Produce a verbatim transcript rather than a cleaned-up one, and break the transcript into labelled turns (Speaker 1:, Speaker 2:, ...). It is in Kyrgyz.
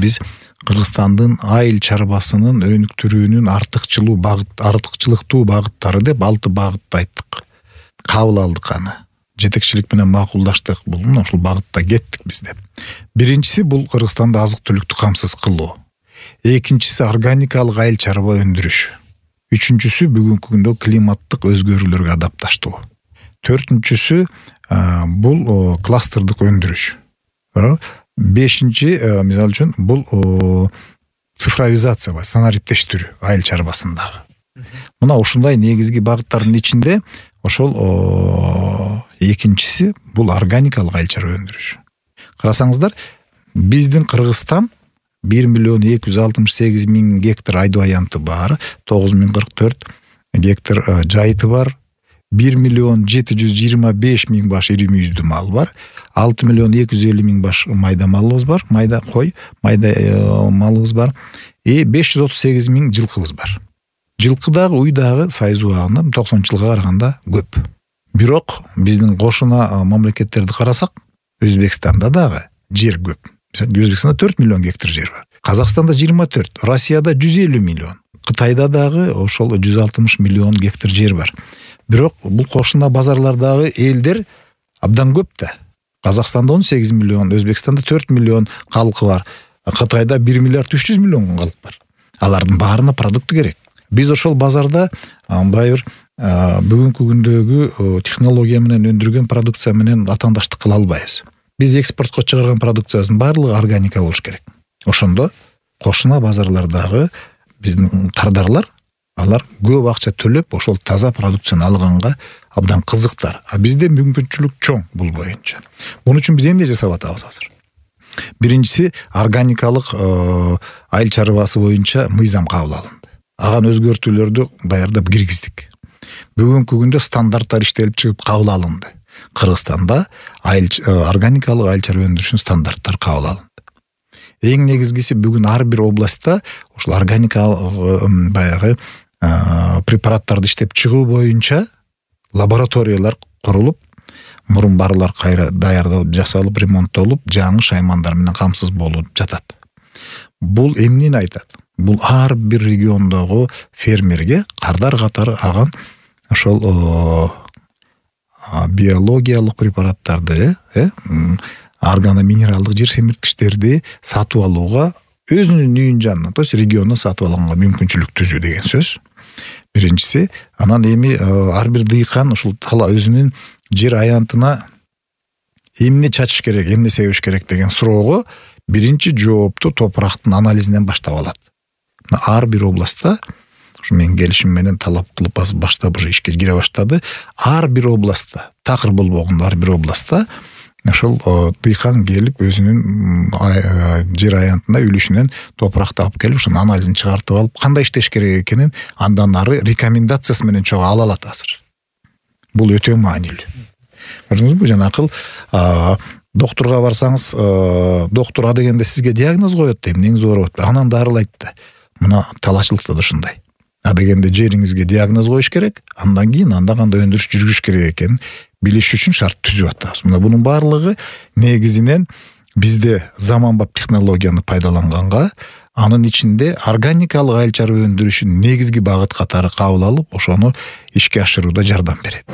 Speaker 1: биз Кыргызстандын айыл чарбасынын өнүктүрүүнүн артыкчылуу багыт артыкчылыктуу багыттары деп алты багытты айттык. Кабыл алдык аны. Жетекчилик менен макулдаштык. Бул ушул багытта кеттик биз деп. Биринчиси бул Кыргызстанда азык-түлүктү камсыз кылуу. Экинчиси органикалык айыл чарба өндүрүш. Үчүнчүсү бүгүнкү күндө климаттык өзгөрүүлөргө адапташтоо. Төртүнчүсү бул кластердик өндүрүш. Бешинчи мисалы үчүн бул цифровизация, санариптештирүү айыл чарбасындагы. Мына ушундай негизги багыттардын ичинде ошол экинчиси бул органикалык айыл чарба өндүрүш. Карасаңыздар, биздин Кыргызстан бир миллион эки жүз алтымыш сегиз миң гектар айдоо аянты бар, тогуз миң кырк төрт гектар жайыты бар, бир миллион жети жүз жыйырма беш миң баш ири мүйүздүү мал бар, алты миллион эки жүз элүү миң баш майда малыбыз бар, майда кой, майда малыбыз бар, и беш жүз отуз сегиз миң жылкыбыз бар. Жылкы дагы, уй дагы сайыз убагында токсонунчу жылга караганда көп. Бирок биздин кошуна мамлекеттерди карасак, Өзбекстанда дагы жер көп. Өзбекстанда төрт миллион гектар жер бар. Казакстанда жыйырма төрт, Россияда жүз элүү миллион. Кытайда дагы ошол жүз алтымыш миллион гектар жер бар. Бирок бул кошуна базарлардагы элдер абдан көп да. Казакстанда он сегиз миллион, Өзбекстанда төрт миллион калкы бар. Кытайда бир миллиард үч жүз миллион калк бар. Алардын баарына продукты керек. Биз ошол базарда баягы бүгүнкү күндөгү технология менен өндүргөн продукция менен атаандаштык кыла албайбыз. Биз экспортко чыгарган продукциябыздын баардыгы органика болуш керек. Ошондо кошуна базарлардагы биздин кардарлар алар көп акча төлөп ошол таза продукцияны алганга абдан кызыктар. А бизде мүмкүнчүлүк чоң бул боюнча. Муну үчүн биз эмне жасап атабыз азыр? Биринчиси органикалык айыл чарбасы боюнча мыйзам кабыл алынды. Аган өзгөртүүлөрдү даярдап киргиздик. Бүгүнкү күндө стандарттар иштелип чыгып кабыл алынды. Кыргызстанда айыл органикалык айыл чарба өндүрүшүнүн стандарттары кабыл алынды. Эң негизгиси бүгүн ар бир областта ошол органикалык баягы препараттарды иштеп чыгуу боюнча лабораториялар курулуп, мурун барлар кайра даярдалып, жасалып, ремонттолуп, жаңы шаймандар менен камсыз болуп жатат. Бул эмнени айтат? Бул ар бир региондогу фермерге кардар катары аган ошол биологиялык препараттарды, э, органоминералдык жер семирткичтерди сатып алууга өзүнүн үйүн жанынан, то есть региондон сатып алганга мүмкүнчүлүк түзүү деген сөз. Биринчиси, анан эми ар бир дыйкан ушул тала өзүнүн жер аянтына эмне чачыш керек, эмне себиш керек деген суроого биринчи жоопту топурактын анализинен баштап алат. Ар бир областта ушу менин келишим менен талап кылып баштап уже ишке кире баштады. Ар бир областта, такыр болбогондо ар бир областта ошол дыйкан келип өзүнүн жер аянтына үлүшүнөн топуракты алып келип, ошонун анализин чыгартып алып, кандай иштеш керек экенин андан ары рекомендациясы менен чогуу ала алат азыр. Бул өтө маанилүү. Көрдүңүзбү, жанакыл доктурга барсаңыз, доктур а дегенде сизге диагноз коет, эмнеңиз ооруп атат, анан дарылайт да. Мына талашчылыкта да ушундай. А дегенде жериңизге диагноз коюш керек, андан кийин анда кандай өндүрүш жүргүзүш керек экенин билиш үчүн шарт түзүп атабыз. Мына бунун баардыгы негизинен бизде заманбап технологияны пайдаланганга, анын ичинде органикалык айыл чарба өндүрүшүн негизги багыт катары кабыл алып, ошону ишке ашырууда жардам берет.